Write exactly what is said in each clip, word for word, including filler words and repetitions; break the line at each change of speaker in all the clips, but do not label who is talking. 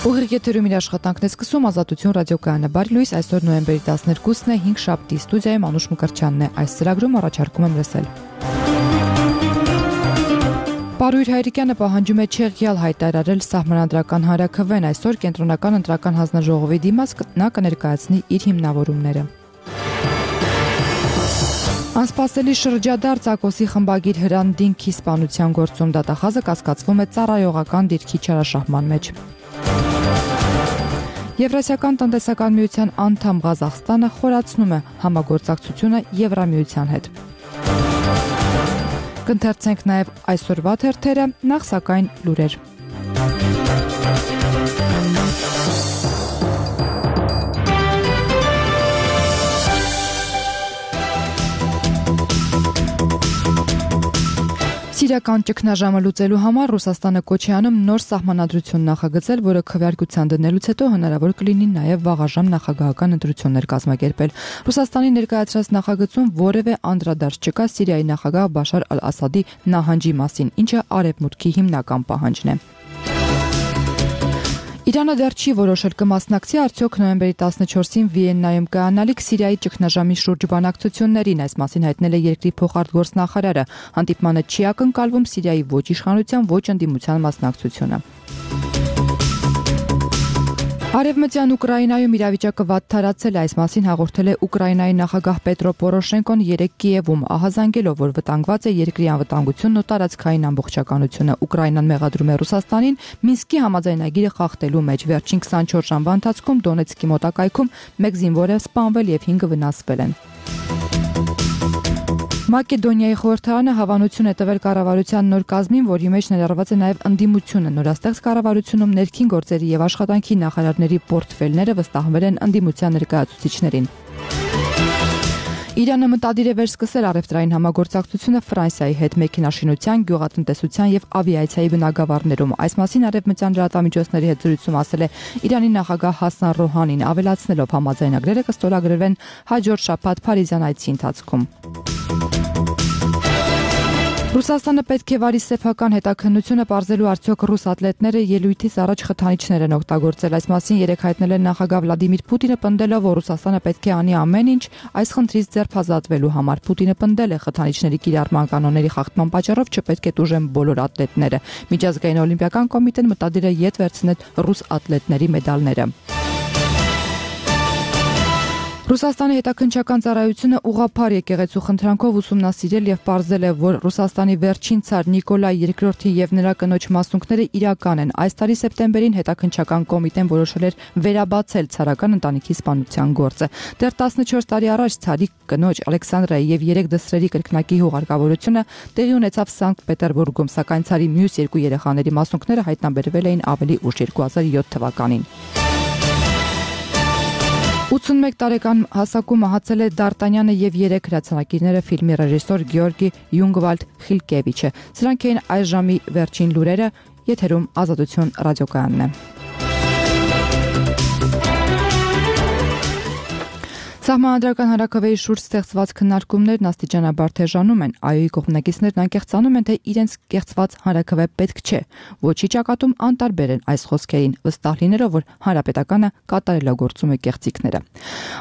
Ուղիղ եթերում իր աշխատանքն է սկսում Ազատություն ռադիոկայանը։ Բարի լույս, այսօր նոյեմբերի տասներկուսն է, հինգ շաբթի, ստուդիայում Անուշ Մկրտչյանն է։ Այս ծրագրում առաջարկում եմ լսել։ Պարույր Հայրիկյանը պահանջում է չեղյալ հայտարարել սահմանադրական հանրաքվեն։ Այսօր կենտրոնական ընտրական հանձնաժողովի դիմաց նա կներկայացնի իր հիմնավորումները։ Անսպասելի շրջադարձ Ակոսի խմբագիր Հրանդինքի սպանության գործում դատախազը կասկածվում է ծառայողական դիրքի չարաշահման մեջ։ Եվրասիական տնտեսական միության անդամ Ղազախստանը խորացնում է համագործակցությունը Եվրամիության հետ։ Կընթերցենք նաև այսօրվա թերթերը, նախ սակայն լուրեր։ Սիրիական ճգնաժամը լուծելու համար Ռուսաստանը կոչ է անում նոր սահմանադրություն նախագծել, որը քվեարկության դնելուց հետո հնարավոր կլինի նաև վաղաժամ նախագահական ընտրություններ կազմակերպել։ Ռուսաստանի ներկայացրած նախագծում որևէ անդրադարձ չկա Սիրիայի նախագահ Բաշար ալ-Ասադի նահանջի մասին, ինչը արևմուտքի հիմնական պահանջն է։ Իրանը դեռ չի որոշել կմասնակցի արդյոք նոյեմբերի տասնչորսին Վիեննայում կայանալիք Սիրիայի ճգնաժամի շուրջ բանակցություններին, այս մասին հայտնել է երկրի փոխարտգործնախարարը։ Հանդիպմանը չի ակնկալվում Սիրիայի ոչ իշխանության, ոչ ընդդիմության մասնակցությունը։ Արևմտյան Ուկրաինայում իրավիճակը վատթարացել է, այս մասին հաղորդել է Ուկրաինայի նախագահ Պետրո Պորոշենկոն երեկ Կիևում, ահազանգելով, որ վտանգված է երկրի անվտանգությունն ու տարածքային ամբողջականությունը։ Ուկրաինան մեղադրում է Ռուսաստանին Մինսկի համաձայնագիրը խախտելու մեջ։ Վերջին քսանչորս ժամվա ընթացքում Դոնեցկի մոտակայքում մեկ զինվոր է սպանվել եւ հինգը վնասվել են։ Մակեդոնիայի խորհրդարանը հավանություն է տվել կառավարության նոր կազմին, որի մեջ ներառված է նաև ընդդիմությունը։ Նորաստեղծ կառավարությունում ներքին գործերի եւ աշխատանքի նախարարների պորտֆելները վստահվել են ընդդիմության ներկայացուցիչներին։ Իրանը մտադիր է վերսկսել առևտրային համագործակցությունը Ֆրանսիայի հետ մեքենաշինության, գյուղատնտեսության եւ ավիացիայի բնագավառներում։ Այս մասին արևմտյան լրատվամիջոցների հետ զրույցում ասել է Իրանի նախագահ Հասան Ռոհանին, ավելացնելով համաձայնագրերը կստորագրվեն հաջորդ շաբաթ Փարիզյան այցի ընթացքում։ Ռուսաստանը պետք է վարի սեփական հետաքննությունը պարզելու արդյոք ռուս ատլետները ելույթից առաջ խթանիչներ են օգտագործել։ Այս մասին երեկ հայտնել է նախագահ Վլադիմիր Պուտինը, պնդելով, որ Ռուսաստանը պետք է անի ամեն ինչ այս խնդրից ձերբազատվելու համար։ Պուտինը պնդել է խթանիչների կիրառման կանոնների խախտման պատճառով չպետք է տուժեն բոլոր ատլետները։ Միջազգային օլիմպիական կոմիտեն մտադիր է ետ վերցնել ռուս ատլետների մեդալները։ Ռուսաստանի հետաքննչական ծառայությունը ուղղափառ եկեղեցու խնդրանքով ուսումնասիրել եւ պարզել է, որ Ռուսաստանի վերջին ցար Նիկոլայ երկրորդի եւ նրա կնոջ մասունքները իրական են։ Այս տարի սեպտեմբերին հետաքննչական կոմիտեն որոշել էր վերաբացել ցարական ընտանիքի սպանության գործը։ Դեռ տասնչորս տարի առաջ ցարի կնոջ Ալեքսանդրայի եւ երեք դստրերի կրկնակի հուղարկավորությունը տեղի ունեցավ Սանկտ Պետերբուրգում, սակայն ցարի մյուս երկու երեխաների մասունքները հայտնաբերվել էին ավելի ուշ երկու հազար յոթ թվականին։ ութսունմեկ տարեկան հասակում մահացել է Դարտանյանը եւ երեք հրացանակիրները ֆիլմի ռեժիսոր Գեորգի Յունգվալդ Խիլկևիչը։ Սրանք էին այս ժամի վերջին լուրերը, եթերում Ազատություն ռադիոկայանն է։ Սահմանադրական հանրաքվեի շուրջ ստեղծված քննարկումներն աստիճանաբար թեժանում են։ ԱՅՈ-ի կողմնակիցներն անկեղծանում են, թե իրենց կեղծված հանրաքվե պետք չէ։ Ոչի ճակատում անտարբեր են այս խոսքերին, վստահ լինելով, որ հանրապետականը կատարելագործում է կեղծիքները։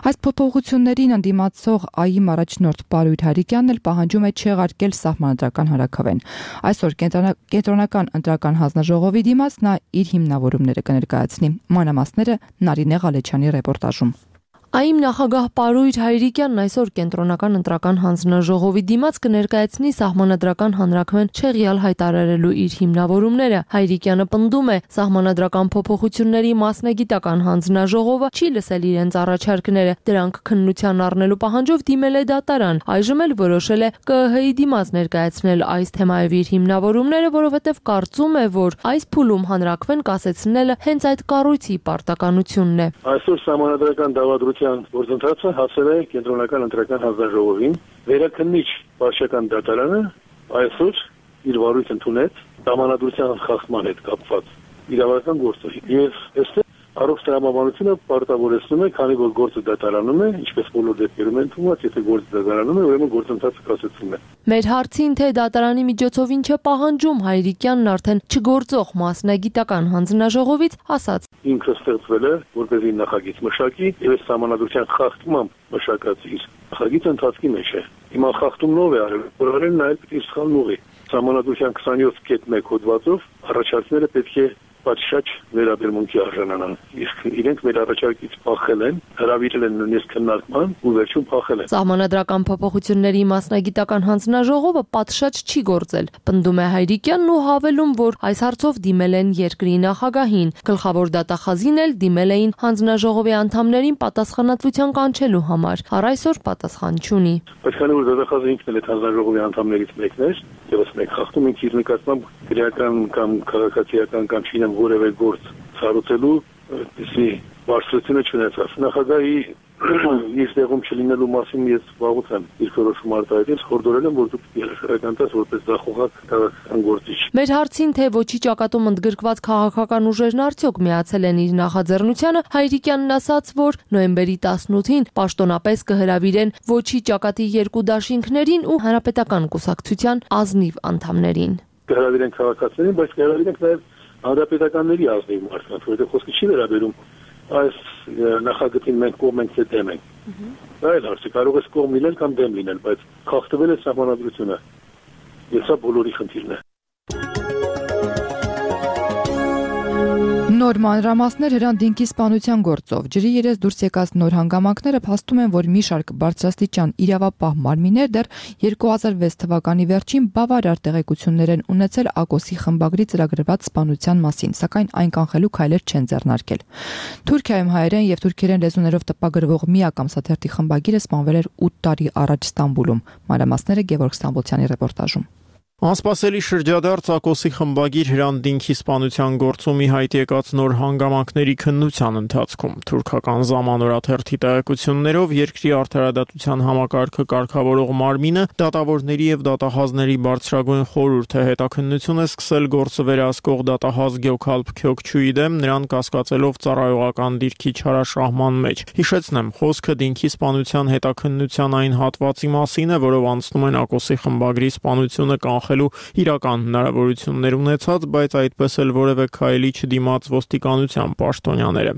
Այս փոփոխություններին ընդդիմացող ԱՅ-ի առաջնորդ Պարույր Հայրիկյանն էլ պահանջում է չեղարկել սահմանադրական հանրաքվեն։ Այսօր կենտրոնական ընտրական հանձնաժողովի դիմաց նա իր հիմնավորումները կներկայացնի։ Մանրամասները Նարինե Ղալեչյանի ռեպորտաժում։
ԱԻՄ նախագահ Պարույր Հայրիկյանն այսօր կենտրոնական ընտրական հանձնաժողովի դիմաց կներկայացնի սահմանադրական հանրաքվեն չեղյալ հայտարարելու իր հիմնավորումները։ Հայրիկյանը պնդում է, սահմանադրական փոփոխությունների մասնագիտական հանձնաժողովը չի լսել իրենց առաջարկները, դրանք քննության առնելու պահանջով դիմել է դատարան։ Այժմ էլ որոշել է ԿԸՀ-ի դիմաց ներկայացնել այս թեմայով իր հիմնավորումները, որովհետև կարծում է, որ այս փուլում հանրաքվեն կասեցնելը հենց այդ կառույցի պարտականությունն է։
Այսօր սահմանադրական դավադրության գործընթացը հասել է կենտրոնական ընտրական հանձնաժողովին։ Վերաքննիչ վարչական դատարանը այսօր իր վարույթ ընդունեց սահմանադրության խախտման հետ կապված իրավական գործը։ Եվ այստեղ Առողջ տրամաբանությունը պարտավորեցնում է, քանի որ գործը դատարանում է, ինչպես բոլոր դեպքերում են թվում, եթե գործը դատարանում է, ուրեմն գործընթացը կասեցվում է։
Մեր հարցին, թե դատարանի միջոցով ինչ է պահանջում, Հայրիկյանն արդեն չգործող մասնագիտական հանձնաժողովից ասաց.
Ինքը ստեղծվել է, որպեսզի նախագիծ մշակի, եւ այս համանadrության խախտմամբ մշակած իր նախագիծը ընթացքի մեջ է։ Հիմա խախտումնով է արել, որ արել նայել պիտի սխալ ուղի։ Համանadrության քսանյոթ կետ մեկ հոդվածով առաջարկները պետք է պատշաճ վերաբերմունքի արժանանան։ Իսկ իրենք մեր առաջարկից փախել են, հրավիրել են նույնիսկ քննարկման ու վերջում փախել են։
Սահմանադրական փոփոխությունների մասնագիտական հանձնաժողովը պատշաճ չի գործել, պնդում է Հայրիկյանն ու հավելում, որ այս հարցով դիմել են երկրի նախագահին։ Գլխավոր դատախազին էլ դիմել էին հանձնաժողովի անդամներին պատասխանատվության կանչելու համար։ Առ այսօր պատասխան չունի։
Բայց քանի որ դատախազը ինքն էլ է հանձնաժողովի անդամներից մեկն էր, եւս մեկ խախտում ինքն իր նկատմամբ քրեական կամ քաղաքացիական կամ չինեմ որևէ գործ ցարուցելու այդպիսի բարձրությունը չունեցավ։ Նախագահի իր տեղում չլինելու մասին ես վաղուց եմ իր որոշում արտահայտել, խորհուրդ եմ, որ դուք երաշարական տես որպես դախողակ քաղաքական գործիչ։
Մեր հարցին, թե ոչի ճակատում ընդգրկված քաղաքական ուժերն արդյոք միացել են իր նախաձեռնությանը, Հայրիկյանն ասաց, որ նոյեմբերի տասնութին պաշտոնապես կհրավիրեն ոչի ճակատի երկու դաշինքներին ու հանրապետական կուսակցության ազնիվ անդամներին։
Կհրավիրեն քաղաքացիներին, բայց կհրավիրենք նաև հանրապետականների ազնիվ մարդկանց, որովհետև խոսքը չի վերաբերում այս նախագծին մենք կողմ ենք թե դեմ ենք։ Այլ հարց է, կարող է կողմ լինել կամ դեմ լինել, բայց խախտվել է սահմանադրությունը։ Եվ սա բոլորի խնդիրն է։
Նոր մանրամասներ Հրանտ Դինքի սպանության գործով ջրի երես դուրս եկած նոր հանգամանքները փաստում են, որ մի շարք բարձրաստիճան իրավապահ մարմիններ դեռ երկու հազար վեց թվականի վերջին բավարար տեղեկություններ են ունեցել Ակոսի խմբագրի ծրագրված սպանության մասին, սակայն այն կանխելու քայլեր չեն ձեռնարկել։ Թուրքիայում հայերեն եւ թուրքերեն լեզուներով տպագրվող միակ ամսաթերթի խմբագիրը սպանվել էր ութ տարի առաջ Ստամբուլում։ Մանրամասները Գևորգ Ստամբոլցյանի ռեպորտաժում։
Անսպասելի շրջադարձ Ակոսի խմբագիր Հրանտ Դինքի սպանության գործում ի հայտ եկած նոր հանգամանքների քննության ընթացքում թուրքական Zamanor-աթերթի տեղեկություններով երկրի արդարադատության համակարգը կարգավորող մարմինը դատավորների եւ դատահազների բարձրագույն խորհուրդը հետաքննություն է սկսել գործը վերահսկող դատահազ Գյոքալփ Քյոքչուի դեմ նրան կասկածելով ծառայողական դիրքի չարաշահման մեջ։ Հիշեցնեմ, խոսքը Դինքի սպանության հետաքննության այն հատվածի մասին է, որով անցնում են Ակոսի խմբագրի սպանությունը կանխել իրական հնարավորություններ ունեցած, բայց այդպես էլ որևէ քայլի չդիմաց ոստիկանության պաշտոնյաները։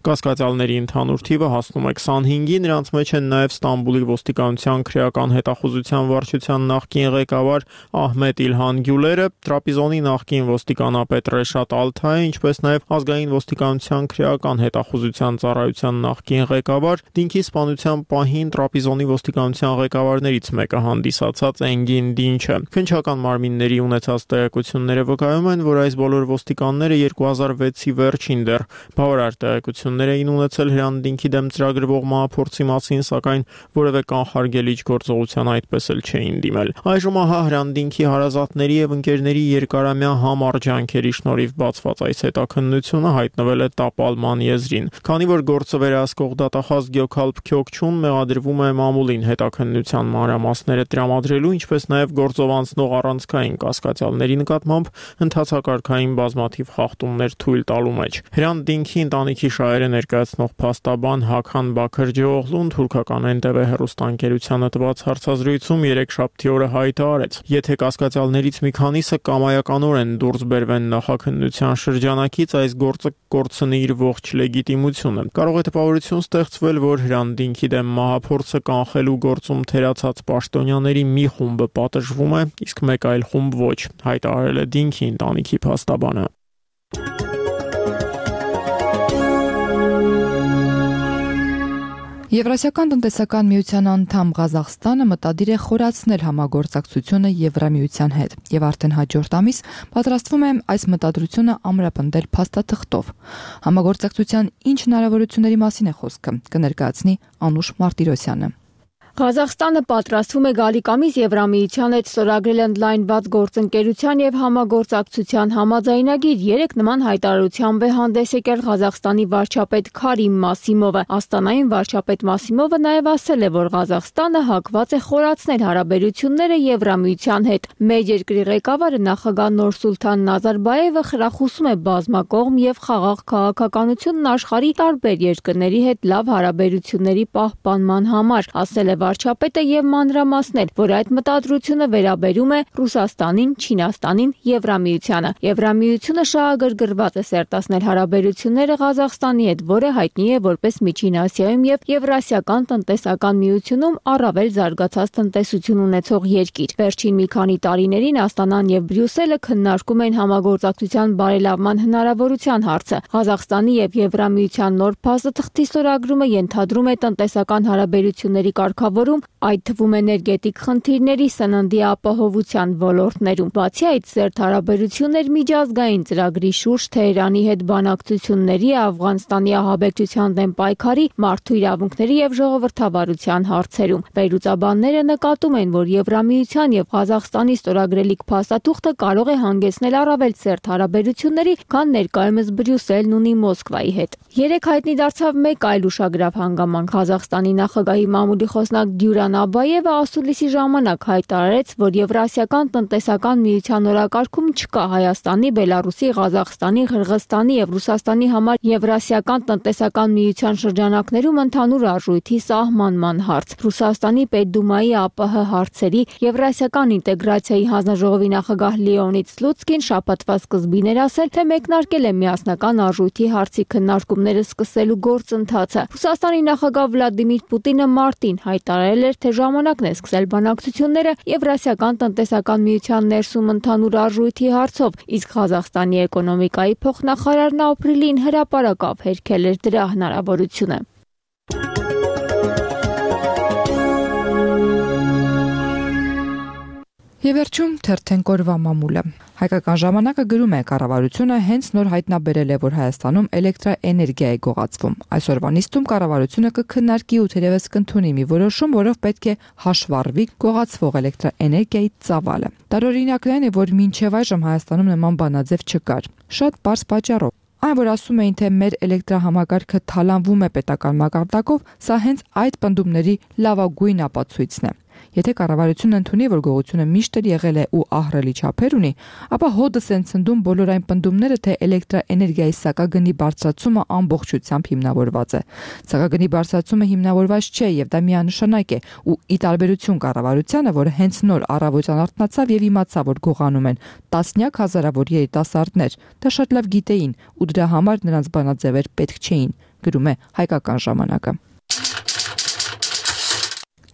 Կասկածյալների ընդհանուր թիվը հասնում է քսանհինգի, նրանց մեջ են նաև Ստամբուլի ոստիկանության քրեական հետախուզության վարչության նախկին ղեկավար Ահմեդ Իլհան Գյուլերը, Տրապիզոնի նախկին ոստիկանապետ Ռեշատ Ալթայը, ինչպես նաև ազգային ոստիկանության քրեական հետախուզության ծառայության նախկին ղեկավար, Դինքի սպանության պահին Տրապիզոնի ոստիկանության ղեկավարներից մեկը հանդիսացած Էնգին Դինչը։ Քննչական մարմինների ունեցած տեղեկությունները վկայում են, որ այս բոլոր ոստիկանները երկու հազար վեցի վերջին դեռ բավարար տեղեկություններ էին ունեցել Հրանտ Դինքի դեմ ծրագրվող մահափորձի մասին, սակայն որևէ կանխարգելիչ գործողության այդպես էլ չէին դիմել։ Այժմ ահա Հրանտ Դինքի հարազատների եւ ընկերների երկարամյա համառ ջանքերի շնորհիվ բացված այս հետաքննությունը հայտնվել է տապալման եզրին։ Քանի որ գործը վերահսկող դատախազ Գյոքալփ Քյոքչուն մեղադրվում է մամուլին հետաքննության մանրամասները տրամադրելու, ինչպես նաև գործով անցնող առանցքային կասկածյալների նկատմամբ ընթացակարգային բազմաթիվ խախտումներ թույլ տալու մեջ։ Հրանտ Դինքի ընտանիքի շահերը ներկայացնող փաստաբան Հաքան Բաքրջիօղլուն թուրքական Էն Տե Վե հեռուստաընկերությանը տված հարցազրույցում երեքշաբթի օրը հայտարարեց. եթե կասկածյալներից մի քանիսը կամայականորեն դուրս բերվեն նախաքննության շրջանակից, այս գործը կորցնի իր ողջ լեգիտիմությունը։ Կարող է տպավորություն ստեղծվել, որ Հրանտ Դինքի դեմ մահափորձը կանխելու գործում թերացած պաշտոնյաների մի խումբը պատժվում է, իսկ մեկ այլ խումբ ոչ, հայտարարել է Դինքի ընտանիքի փաստաբանը։
Եվրասիական տնտեսական միության անդամ Ղազախստանը մտադիր է խորացնել համագործակցությունը Եվրամիության հետ եւ արդեն հաջորդ ամիս պատրաստվում է այս մտադրությունը ամրապնդել փաստաթղթով։ Համագործակցության ինչ հնարավորությունների մասին է խոսքը, կներկայացնի Անուշ Մարտիրոսյանը։
Ղազախստանը պատրաստվում է գալիք ամիս Եվրամիության հետ ստորագրել ընդլայնված գործընկերության եւ համագործակցության համաձայնագիր։ Երեք նման հայտարարությամբ է հանդես եկել Ղազախստանի վարչապետ Քարիմ Մասիմովը։ Աստանային վարչապետ Մասիմովը նաեւ ասել է, որ Ղազախստանը հակված է խորացնել հարաբերությունները Եվրամիության հետ։ Մեր երկրի ղեկավարը նախագահ Նուրսուլթան Նազարբաևը խրախուսում է բազմակողմ եւ խաղաղ քաղաքականությունն աշխարհի տարբեր երկրների հետ լավ հարաբերությունների պահպանման համար, ասել է վարչապետը եւ մանրամասնել, որ այդ մտադրությունը վերաբերում է Ռուսաստանին, Չինաստանին, Եվրամիությանը։ Եվրամիությունը շահագրգռված է սերտացնել հարաբերությունները Ղազախստանի հետ, որը հայտնի է որպես Միջին Ասիայում եւ Եվրասիական տնտեսական միությունում առավել զարգացած տնտեսություն ունեցող երկիր։ Վերջին մի քանի տարիներին Աստանան եւ Բրյուսելը քննարկում են համագործակցության բարելավման հնարավորության հարցը։ Ղազախստանի եւ Եվրամիության նոր փաստաթղթի ստորագրումը ենթադրում է տնտեսական հարաբերությունների կարգավորում, այդ թվում էներգետիկ խնդիրների, սննդի ապահովության ոլորտներում։ Բացի այդ, սերտ հարաբերություններ միջազգային ծրագրի շուրջ Թեհրանի հետ բանակցությունների, Աֆղանստանի ահաբեկչության դեմ պայքարի, մարդու իրավունքների եւ ժողովրդավարության հարցերում։ Վերլուծաբանները նկատում են, որ Եվրամիության եւ Ղազախստանի ստորագրելիք փաստաթուղթը կարող է հանգեցնել առավել սերտ հարաբերությունների, քան ներկայումս Բրյուսելն ունի Մոսկվայի հետ։ Երեք հայտնի դարձավ մեկ այլ ուշագրավ հանգամանք։ Ղազախստանի նախագահի մամուլի խոսնակ Դյուրան Աբայևը ասուլիսի ժամանակ հայտարարեց, որ Եվրասիական տնտեսական միության օրակարգում չկա Հայաստանի, Բելարուսի, Ղազախստանի, Ղրղստանի եւ Ռուսաստանի համար Եվրասիական տնտեսական միության շրջանակներում ընդհանուր արժույթի սահմանման հարց։ Ռուսաստանի Պետդումայի ԱՊՀ հարցերի Եվրասիական ինտեգրացիայի հանձնաժողովի նախագահ Լեոնիդ Սլուցկին շաբաթվա սկզբին էր ասել, թե մեկնարկել է միասնական արժույթի հարցի քննարկումները սկսելու գործընթացը։ Ռուսաստանի նախագահ Վլադիմիր Պուտինը մարտին հայտարարել էր, թե ժամանակն է սկսել բանակցությունները Եվրասիական տնտեսական միության ներսում ընդհանուր արժույթի հարցով, իսկ Ղազախստանի էկոնոմիկայի փոխնախարարն ապրիլին հրապարակավ հերքել էր դրա հնարավորությունը։
Եվ վերջում թերթենք օրվա մամուլը։ Հայկական ժամանակը գրում է, կառավարությունը հենց նոր հայտնաբերել է, որ Հայաստանում էլեկտրաէներգիա է գողացվում։ Այսօրվա նիստում կառավարությունը կքննարկի ու թերևս կընդունի մի որոշում, որով պետք է հաշվառվի գողացվող էլեկտրաէներգիայի ծավալը։ Տարօրինակն այն է, որ մինչև այժմ Հայաստանում նման բանաձև չկար։ Շատ պարզ պատճառով։ Այն, որ ասում էին, թե մեր էլեկտրահամակարգը թալանվում է պետական մակարդակով, սա հենց այդ պնդումների լավագույն ապացույցն է։ Եթե կառավարությունը ընդունի, որ գողությունը միշտ էլ եղել է ու ահռելի չափեր ունի, ապա հոդս են ցնդում բոլոր այն պնդումները, թե էլեկտրաէներգիայի սակագնի բարձրացումը ամբողջությամբ հիմնավորված է։ Սակագնի բարձրացումը հիմնավորված չէ եւ դա միանշանակ է, ու ի տարբերություն կառավարությանը, որը հենց նոր առավոտյան արթնացավ եւ իմացավ, որ գողանում են տասնյակ հազարավոր երիտասարդներ, դա շատ լավ գիտեին ու դրա համար նրանց բանաձևեր պետք չէին, գրում է Հայկական ժամանակը։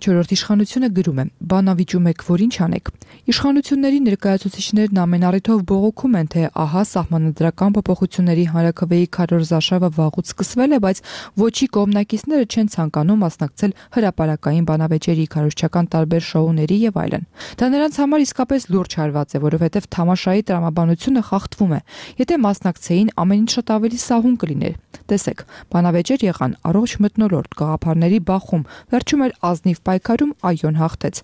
Չորրորդ իշխանությունը գրում է. «Բանավիճում եք, որ ինչ անեք»։ Իշխանությունների ներկայացուցիչներն ամեն առիթով բողոքում են, թե ահա սահմանադրական փոփոխությունների հանրաքվեի քարոզարշավը վաղուց սկսվել է, բայց ոչի կողմնակիցները չեն ցանկանում մասնակցել հրապարակային բանավեճերի, քարոզչական տարբեր շոուների եւ այլն։ Դա նրանց համար իսկապես լուրջ հարված է, որովհետեւ թամաշայի տրամաբանությունը խախտվում է։ Եթե մասնակցեին, ամեն ինչ շատ ավելի սահուն կլիներ։ Տեսեք, բանավեճեր եղան, առողջ մթնոլորտ, գաղափարների բախում, վերջում էր ազնիվ պայքարում այոն հաղթեց։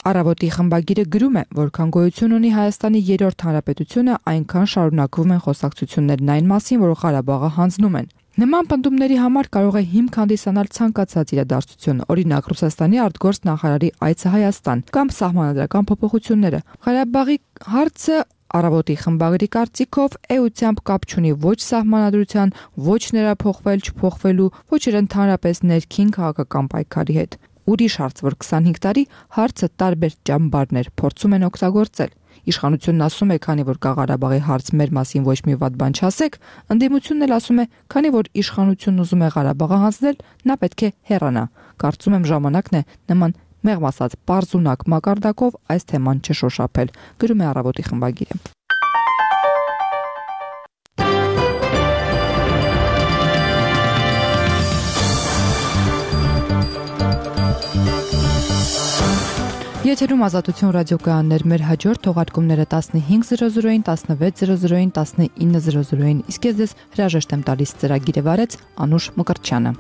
Առավոտի խմբագիրը գրում է, որքան գոյություն ունի Հայաստանի երրորդ հանրապետությունը, այնքան շարունակվում են խոսակցություններն այն մասին, որ Ղարաբաղը հանձնում են։ Նման պնդումների համար կարող է հիմք հանդիսանալ ցանկացած իրադարձություն, օրինակ Ռուսաստանի արտգործ նախարարի այցը Հայաստան կամ սահմանադրական փոփոխությունները։ Ղարաբաղի հարցը Առավոտի խմբագրի կարծիքով էությամբ կապ չունի ոչ սահմանադրության, ոչ նրա փոխվել չփոխվելու, ոչ էլ ընդհանրապես ներքին քաղաքական պայքարի հետ։ Ուրիշ հարց, որ քսանհինգ տարի հարցը տարբեր ճամբարներ փորձում են օգտագործել։ Իշխանությունն ասում է, քանի որ կա Ղարաբաղի հարց, մեր մասին ոչ մի վատ բան չասեք, ընդդիմությունն էլ ասում է, քանի որ իշխանությունն ուզում է Ղարաբաղը հանձնել, նա պետք է հեռանա։ Կարծում եմ ժամանակն է նման մեղմ ասած պարզունակ մակարդակով այս թեման չշոշափել, գրում է Առավոտի խմբագիրը։ Եթերում Ազատություն ռադիոկայաններ, մեր հաջորդ թողարկումները տասնհինգ զրո զրոին, տասնվեց զրո զրոին, տասնինը զրո զրոին, իսկ ես ձեզ հրաժեշտ եմ տալիս ծրագիրը վարեց Անուշ Մկրտչյանը։